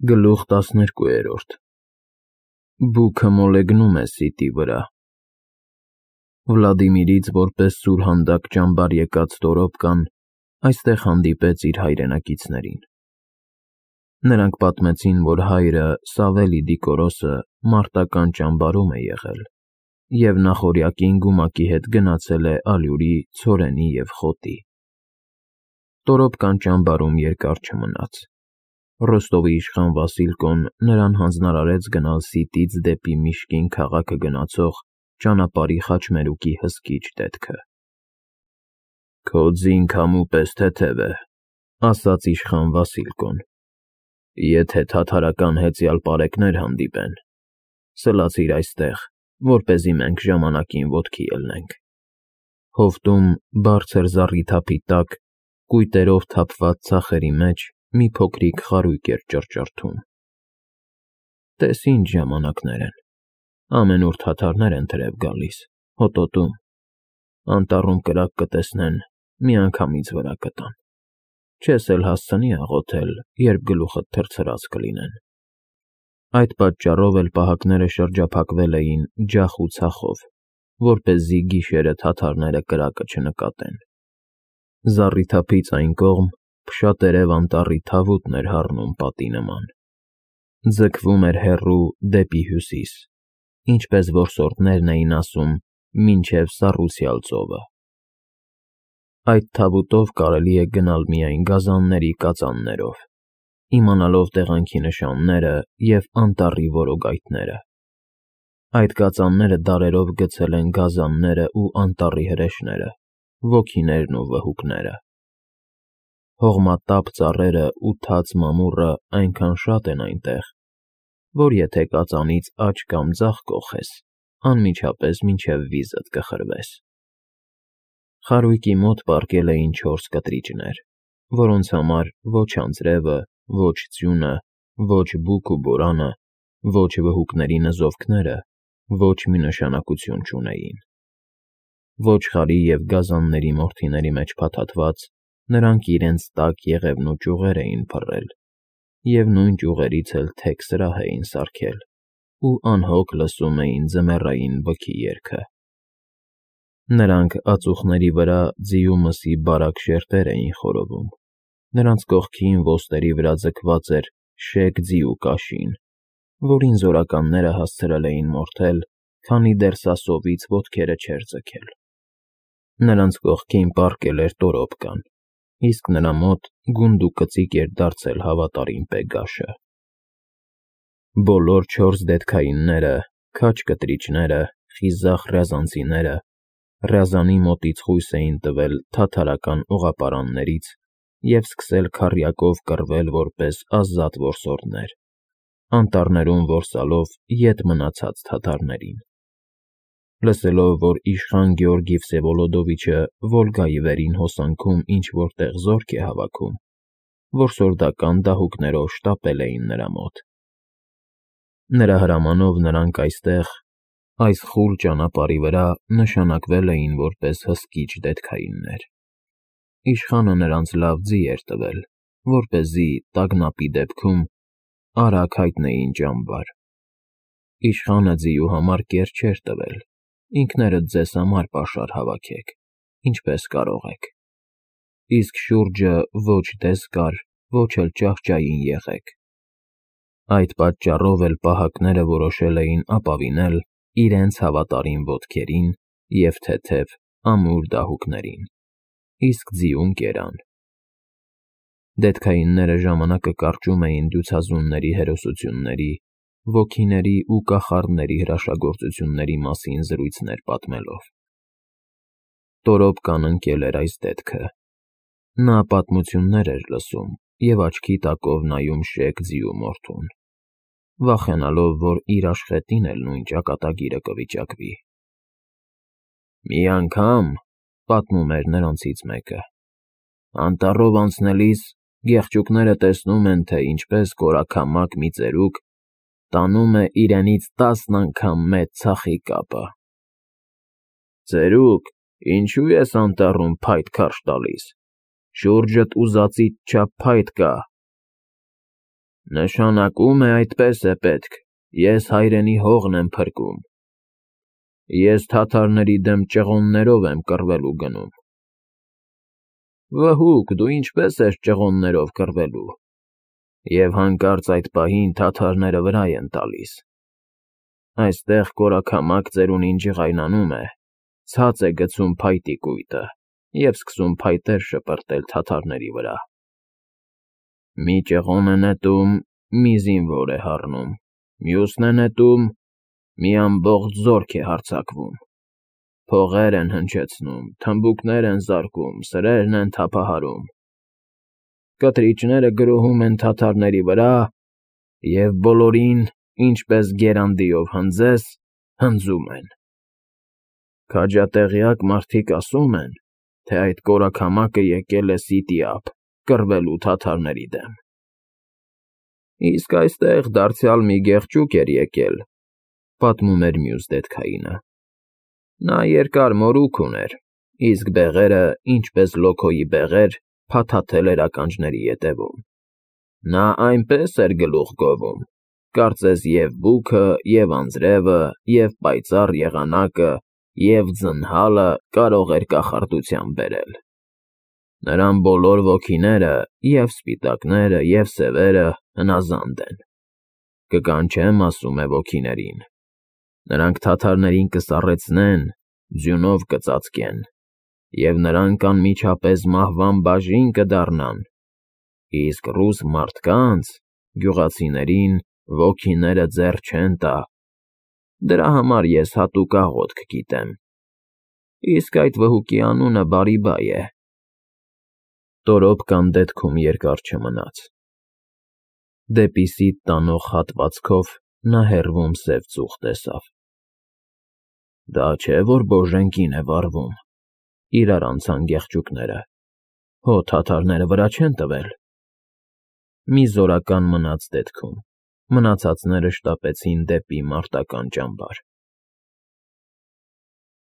Գլուխ 12 Բուքը մոլեգնում է սիտի վրա։ Վլադիմիրից որպես սուրհանդակ ճամբար եկած Տորոպկան այստեղ հանդիպեց իր հայրենակիցներին։ Նրանք պատմեցին, որ հայրը Սավելի Դիկորոսը մարտական ճամբարում է եղել և նախօրյակին գումակի հետ գնացել է ալյուրի, ցորենի և խոտի։ Տորոպկան ճամբարում երկար չմնաց։ Ռոստովի իշխան Վասիլկոն նրան հանձնարարեց գնալ Սիտից դեպի Միշկին քաղաքը գնացող ճանապարհի խաչմերուկի հսկիչ դետքը։ «Քո ձինք համու պես թեթև է,» ասաց իշխան Վասիլկոն։ «Եթե թաթարական հեծյալ պարեկներ հանդիպեն, սլացիր այստեղ, որպեսզի մենք ժամանակին ոտքի ելնենք»։ Հովտում, բարձր զառիթափի տակ, կույտերով թափված ցախերի մեջ մի փոքրիկ խարույկ էր ճռճռթում։ «Տես ինչ ժամանակներ են, ամենուր թաթարներ են թրև գալիս, հոտոտում, անտառում կրակ կտեսնեն, միանգամից վրա կտան, չես էլ հասցնի աղոթել, երբ գլուխդ թրթրաց կլինեն»։ Այդ պատճառով էլ պահակները շրջափակվել էին ջախ ու ցախով, որպեսզի գիշերը թաթարները կրակը չնկատեն։ Զառիթափից այն կողմ փշատերև անտառի թավուտն էր հառնում պատի նման։ Ձգվում էր հեռու դեպի հյուսիս, ինչպես որսորդներն էին ասում, մինչև Սառուսյալ ծովը։ Այդ թավուտով կարելի է գնալ միայն գազանների կածաններով, իմանալով տեղանքի նշանները և անտառի որոգայթները։ Այդ կածանները դարերով գցել են գազանները ու անտառի հրեշները, ոգիներն ու վհուկները։ Հողմատապ ծառերը ու թաց մամուռը այնքան շատ են այնտեղ, որ եթե կածանից աջ կամ ձախ կոխես, անմիջապես մինչև վիզդ կխրվես։ Խարույկի մոտ պառկել էին 4 կտրիճներ, որոնց համար ոչ անձրևը, ոչ ձյունը, ոչ բուք ու բորանը, ոչ վհուկների նզովքները ոչ մի նշանակություն չունեին։ Ոչխարի և գազանների մորթիների մեջ փաթաթված, նրանք իրենց տաք եղևնու ճյուղեր էին փռել և նույն ճյուղերից էլ թեք սրահ էին սարքել ու անհոգ լսում էին ձմեռային բքի երգը։ Նրանք ածուխների վրա ձիու մսի բարակ շերտեր էին խորովում, նրանց կողքին ոսტերի վրա ձգված էր շեկ ձիու կաշին, որին զորականները հասցրել էին մորթել, քանի դեռ սասովից ոտքերը չէր ձգել։ Նրանց կողքին պառկել էր Տորոպկան, իսկ նրա մոտ գունդ ու կծիկ էր դարձել հավատարիմ Պեգաշը։ Բոլոր 4 դետքայինները, քաջ կտրիճները, խիզախ ռյազանցիները Ռյազանի մոտից խույս էին տվել թաթարական օղապարաններից և սկսել քառյակով կռվել որպես ազատ որսորդներ, անտառներում որսալով ետ մնացած թաթարներին։ Լսելով, որ իշխան Գեորգի Վսևոլոդովիչը Վոլգայի վերին հոսանքում ինչ-որ տեղ զորք է հավաքում, որսորդական դահուկներով շտապել էին նրա մոտ։ Նրա հրամանով նրանք այստեղ, այս խուլ ճանապարհի վրա նշանակվել էին որպես հսկիչ դետքայիններ։ Իշխանը նրանց լավ ձի էր տվել, որպեսզի, տագնապի դեպքում, արագ հայտնեին ճամբար։ Իշխանը ձիու համար կեր չէր տվել, ինքներդ ձեզ համար պաշար հավաքեք, ինչպես կարող եք, իսկ շուրջը ոչ դես կար, ոչ էլ ճահճային եղեք։ Այդ պատճառով էլ պահակները որոշել էին ապավինել իրենց հավատարիմ ոտքերին և թեթև, ամուր դահուկներին, իսկ ձիուն կերան։ Դետքայինները ժամանակը կարճում էին դյուցազունների հերոսությունների, ոգիների ու կախարդների հրաշագործությունների մասին զրույցներ պատմելով։ Տորոպկան ընկել էր այս դետքը։ Նա պատմություններ էր լսում և աչքի տակով նայում շեկ ձիու մորթուն, վախենալով, որ իր աշխատին էլ նույն ճակատագիրը կվիճակվի։ «Մի անգամ,» պատմում էր նրանցից մեկը, «անտառով անցնելիս գեղչուկները տեսնում են, թե ինչպես կորաքամակ մի ծերուկ տանում է իրենից 10 անգամ մեծ ցախի կապը։ «Ծերուկ, ինչու ես անտառում փայտ քարշ տալիս, շուրջդ ուզածիդ չափ փայտ կա»։ Նշանակում է այդպես է պետք, ես հայրենի հողն եմ փրկում, ես թաթարների դեմ ճղոններով եմ կռվելու գնում։ Վհուկ, դու ինչպես ես ճղոններով կռվելու, և հանկարծ այդ պահին թաթարները վրա են տալիս։ Այստեղ կորաքամակ ծերունին ջղայնանում է, ցած է գցում փայտի կույտը և սկսում փայտեր շպրտել թաթարների վրա։ Մի ճղոն է նետում, մի զինվոր է հառնում, մյուսն է նետում, մի ամբողջ զորք է հարձակվում, փողեր են հնչեցնում, թմբուկներ են զարկում, սրերն են թափահարում, կտրիչները գրոհում են թաթարների վրա և բոլորին, ինչպես գերանդիով հնձես, հնձում են։ Քաջատեղյակ մարդիկ ասում են, թե այդ կորաքամակը եկել է սիտիափ կռվելու թաթարների դեմ։ Իսկ այստեղ դարձյալ մի գեղջուկ էր եկել, պատմում էր մյուս դետքայինը։ Նա երկար մորուք ուներ, իսկ բեղերը, ինչպես լոքոյի բեղեր, փաթաթել էր ականջների ետևում։ Նա այնպես էր գլուխ գովում, կարծես և բուքը, և անձրևը, և պայծառ եղանակը, և ձնհալը կարող էր կախարդության բերել։ Նրան բոլոր ոգիները, և սպիտակները, և սևերը հնազանդ են։ Կկանչեմ, ասում է ոգիներին, նրանք թաթարներին կսառեցնեն, ձյունով կծածկեն, և նրանք անմիջապես մահվան բաժին կդառնան, իսկ ռուս մարդկանց, գյուղացիներին, ոգիները ձեռ չեն տա, դրա համար ես հատուկ աղոթք գիտեմ, իսկ այդ վհուկի անունը Բարիբա է։ Տորոպկան դետքում երկար չմնաց։ Դեպի սիտ տանող հատվածքով նա հեռվում սև ծուխ տեսավ։ Դա չէ, որ Բոժենկին է վառվում, իրար անցան գեղջուկները, հո թաթարները վրա չեն տվել։ Մի զորական մնաց դետքում, մնացածները շտապեցին դեպի մարտական ճամբար։